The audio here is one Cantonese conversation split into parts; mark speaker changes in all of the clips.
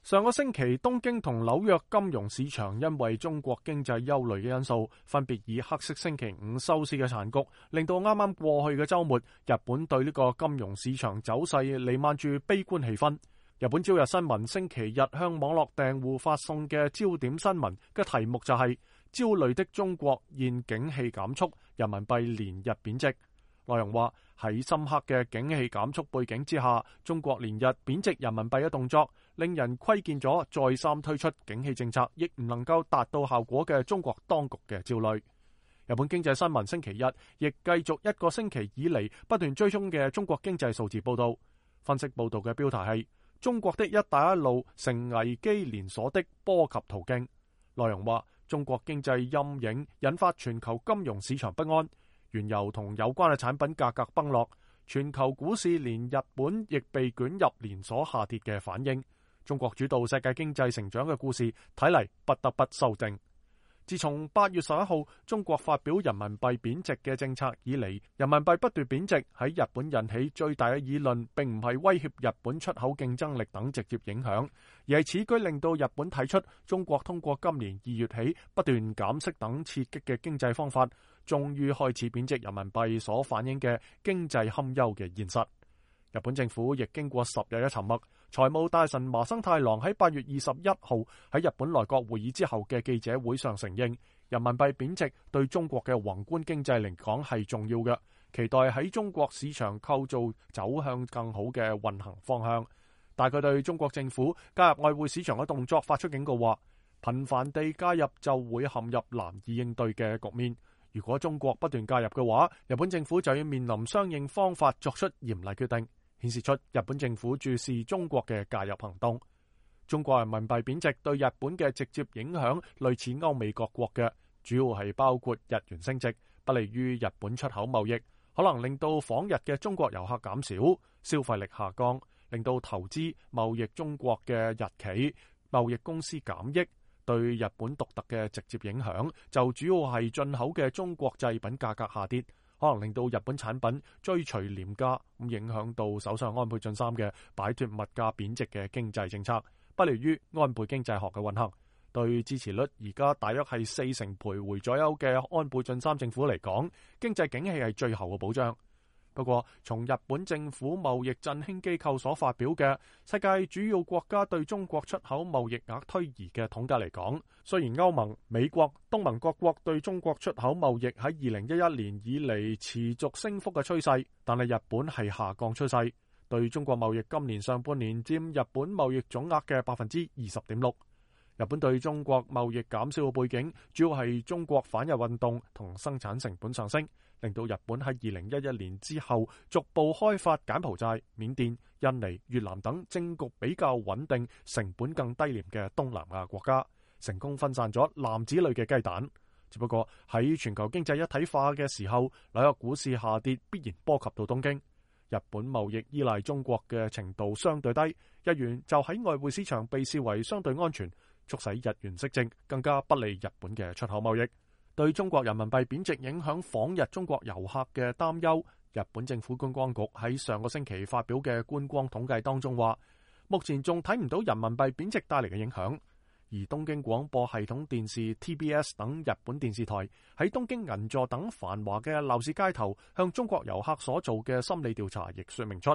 Speaker 1: 上個星期，東京同紐約金融市場因為中國經濟憂慮嘅因素，分別以黑色星期五收市嘅殘局，令到啱啱過去嘅週末，日本對呢個金融市場走勢瀰漫住悲觀氣氛。日本朝日新聞星期日向網絡訂戶發送嘅焦點新聞嘅題目就係焦慮的中國現景氣減速，人民幣連日貶值。內容話喺深刻嘅景氣減速背景之下，中國連日貶值人民幣嘅動作，令人窺見咗再三推出景氣政策亦唔能夠達到效果嘅中國當局嘅焦慮。日本經濟新聞星期日亦繼續一個星期以嚟不斷追蹤嘅中國經濟數字報道。分析報道嘅標題係中國的一帶一路成危機連鎖的波及途徑。內容話中國經濟陰影引發全球金融市場不安，原油同有關嘅產品價格崩落，全球股市連日本亦被捲入連鎖下跌嘅反應。中國主導世界經濟成長嘅故事睇嚟不得不修正。自從8月11號中國發表人民幣貶值嘅政策以嚟，人民幣不斷貶值，喺日本引起最大嘅議論並唔係威脅日本出口競爭力等直接影響，而係此舉令到日本睇出中國通過今年2月起不斷減息等刺激嘅經濟方法，終於開始貶值人民幣所反映嘅經濟堪憂嘅現實。日本政府亦經過10日嘅沉默，財務大臣麻生太郎喺8月21號喺日本內閣會議之後嘅記者會上承認，人民幣貶值對中國嘅宏觀經濟嚟講係重要嘅，期待喺中國市場構造走向更好嘅運行方向。但佢對中國政府加入外匯市場嘅動作發出警告，話頻繁地加入就會陷入難以應對嘅局面。如果中國不斷介入嘅話，日本政府就要面臨相應方法作出嚴厲決定，顯示出日本政府注視中國嘅介入行動。中國人民幣貶值對日本嘅直接影響類似歐美各國嘅，主要係包括日元升值，不利於日本出口貿易，可能令到訪日嘅中國遊客減少，消費力下降，令到投資貿易中國嘅日企、貿易公司減益。對日本獨特嘅直接影響就主要係進口嘅中國製品價格下跌，可能令到日本產品追隨廉價，咁影響到首相安倍晉三嘅擺脫物價貶值嘅經濟政策，不利於安倍經濟學嘅運行。對支持率而家大約係40%徘徊左右嘅安倍晉三政府嚟講，經濟景氣係最後嘅保障。不過，從日本政府貿易振興機構所發表嘅世界主要國家對中國出口貿易額推移嘅統計嚟講，雖然歐盟、美國、東盟各國對中國出口貿易喺2011年以嚟持續升幅嘅趨勢，但係日本係下降趨勢。對中國貿易今年上半年佔日本貿易總額嘅20.6%。日本對中國貿易減少嘅背景，主要係中國反日運動同生產成本上升，令到日本喺2011年之後逐步開發柬埔寨、緬甸、印尼、越南等政局比較穩定、成本更低廉嘅東南亞國家，成功分散咗籃子裏嘅雞蛋。只不過喺全球經濟一體化嘅時候，紐約股市下跌必然波及到東京。日本貿易依賴中國嘅程度相對低，日元就喺外匯市場被視為相對安全，促使日元息正，更加不利日本嘅出口貿易。對中國人民幣貶值影響訪日中國遊客嘅擔憂，日本政府觀光局喺上個星期發表嘅觀光統計當中話，目前仲睇唔到人民幣貶值帶嚟嘅影響。而東京廣播系統電視 TBS 等日本電視台喺東京銀座等繁華嘅鬧市街頭向中國遊客所做嘅心理調查，亦說明出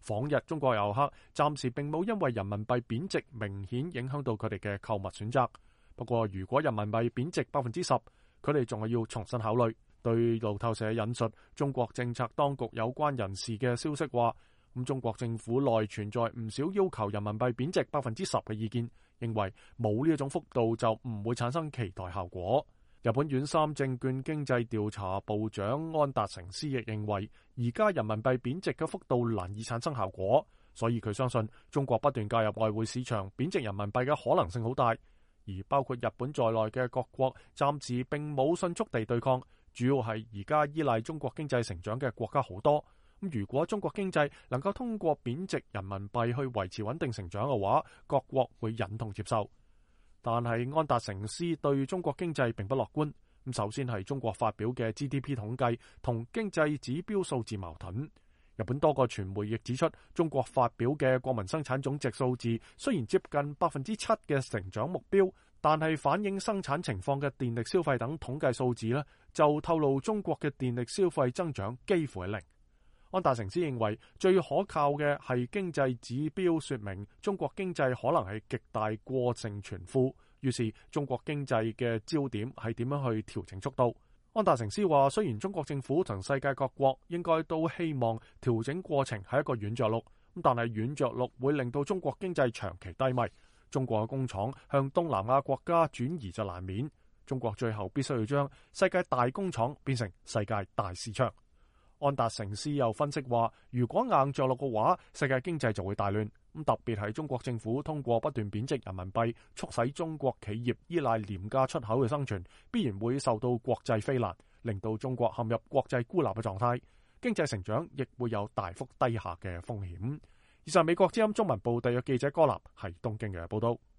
Speaker 1: 訪日中國遊客暫時並冇因為人民幣貶值明顯影響到佢哋嘅購物選擇。不過如果人民幣貶值10%，佢哋仲係要重新考慮。對路透社引述中國政策當局有關人士嘅消息話，中國政府內存在唔少要求人民幣貶值10%嘅意見，認為冇呢一種幅度就唔會產生期待效果。日本遠三證券經濟調查部長安達成司亦認為，而家人民幣貶值嘅幅度難以產生效果，所以佢相信中國不斷介入外匯市場貶值人民幣嘅可能性好大。而包括日本在內嘅各國暫時並冇迅速地對抗，主要係而家依賴中國經濟成長嘅國家好多。如果中國經濟能夠通過貶值人民幣去維持穩定成長嘅話，各國會忍痛接受。但係安達成司對中國經濟並不樂觀。首先係中國發表嘅 GDP 統計同經濟指標數字矛盾。日本多個傳媒亦指出，中國發表嘅國民生產總值數字雖然接近7%嘅成長目標，但係反映生產情況嘅電力消費等統計數字呢，就透露中國嘅電力消費增長幾乎係零。安達成斯認為最可靠嘅係經濟指標說明中國經濟可能係極大過剩存庫，於是中國經濟嘅焦點係點樣去調整速度。安達成斯話，雖然中國政府同世界各國應該都希望調整過程係一個軟着陸，但係軟着陸會令到中國經濟長期低迷。中國嘅工廠向東南亞國家轉移就難免，中國最後必須要將世界大工廠變成世界大市場。安達成斯又分析話，如果硬着陸嘅話，世界經濟就會大亂。特別係中國政府通過不斷貶值人民幣，促使中國企業依賴廉價出口嘅生存，必然會受到國際非難，令到中國陷入國際孤立嘅狀態，經濟成長亦會有大幅低下嘅風險。以上美國之音中文部特約記者柯立喺東京嘅報道。